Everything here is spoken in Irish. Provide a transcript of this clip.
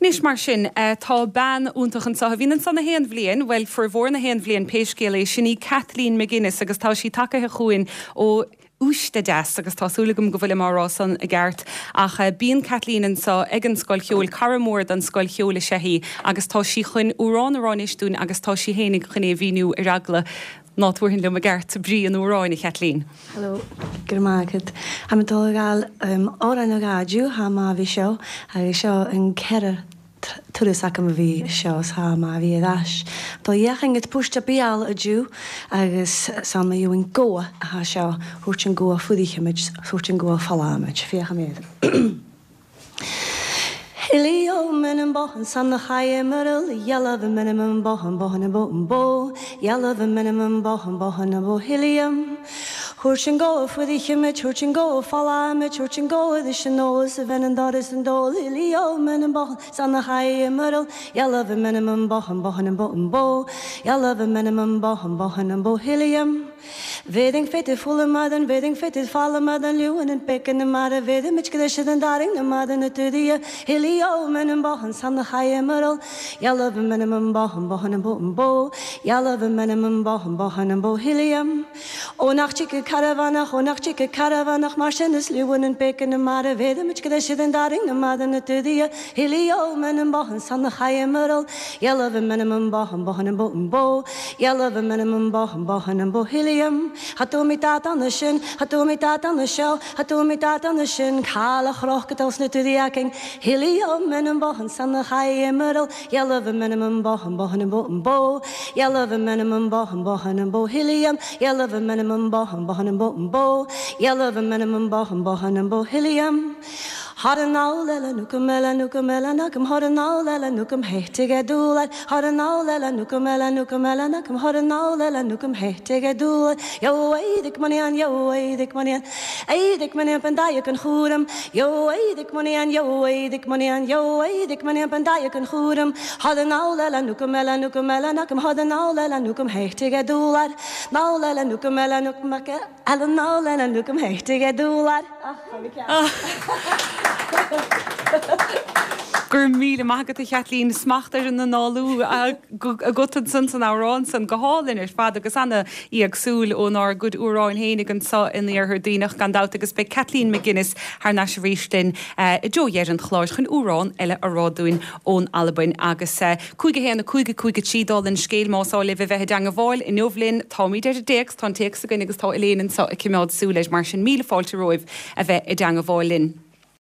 Anois mar sin, tá bean iontach anseo a bhíonn anso na haon bhliain, bhuel, formhór na haon bhliain pé scéal é, sin í Kathleen McGuinness agus tá sí tagaithe chugainn ó Uisde Deas agus tá súil agam go bhfuilim á rá san i gceart ach bíonn Kathleen anseo ag an Scoil Cheoil, cara mór don Scoil Cheoil is ea í agus tá sí chun amhrán a rá anois dúinn agus tá sí fhéinig chun é a mhíniú ar eagla ná tabharfainn liom i gceart brí an amhráin, a Chaitlín. Hello, go raibh maith agat. Tha mi dol a ghabhail òran a ghàideal tha ma a bhith seo agus seo an ceithre turas agam a bhith seo 's tha ma a bhith air ais. Dol dheachain go puiste beal a dtiú agus san ma gheobhainn gobha atá seo thabhairt an gobha fuadaíchimid thabhairt an gobha folláimid. Féachaimid. Hilio minim bohan san na chaimmeral yellow minimum bohan bohan bo bo yellow minimum bohan bohan bo hilium Thabhairt an gobha fuadaíchimid thabhairt an gobha folláimid thabhairt an gobha leis an ól 's a bheinn an doras an dól Hilio minim bohan san na chaimmeral yellow minimum bohan bohan bo bo yellow minimum bohan bohan bo hilium Bhéadfainn féidir fualadh bhéadfainn féidir foghlama den luan an béiceann na mara bhéadfaimid go leis den dtarraing na mada na tudaí Hilio minim bohan san na chaimmeral yellow minimum bohan bohan bo bo yellow minimum bohan bohan bo hilium Ó nach dtiocfaidh caravanach, ó nach dtiocfaidh caravanach mar sin is luan an béiceann na mara bhéadfaimid go leis den dtarraing na mada na tudaí Hilio minim bohan san na chaimmeral yellow minimum bohan bohan bo bo yellow minimum bohan bohan bo hilium Cha dó mi dat sin, cha dó mi dat seo, cha dó mi dat sin, Cála chroch go dul sna tudaí acing Hilio minim bohan san na chaimmeral yellow minimum bohan bohan bo bo yellow minimum bohan bohan bo hilium yellow minimum bohan bohan bo bo yellow minimum bohan bohan bo hilium Har ná nukum ela nukum ela nakam har ná ela nukum heitige dúlar har ná ela nukum ela nukum ela nakam har ná ela nukum heitige dúlar Yo eidik money yo eidik money eidik money pendaik an chúram Yo eidik money yo eidik money yo eidik money pendaik an chúram Har ná ela nukum ela nukum ela nakam har ná ela nukum heitige dúlar Ná ela nukum ela nukum ela ná ela nukum heitige dúlar Go raibh míle maith agat a Chaitlín, smacht ar an análú agat ansan san amhrán san, go hálainn ar fad agus ana-éagsúil ónár gcuid amhráin fhéinig anso in Iarthar Duibhneach gan dabht agus beidh Kathleen McGuinness thar n-ais arís linn i dtreo dheireadh an chláir chun amhrán eile a rá dúinn ón Albain agus 5 1 5 5 3 dála an scéil más áil libh a bheith i dteangabháil inniu linn táimid ar an dtéacs, tá an téacs againn agus tá Elaine anso ag cimeád súil air mar sin míle fáilte romhaibh a bheith i dteangabháil linn.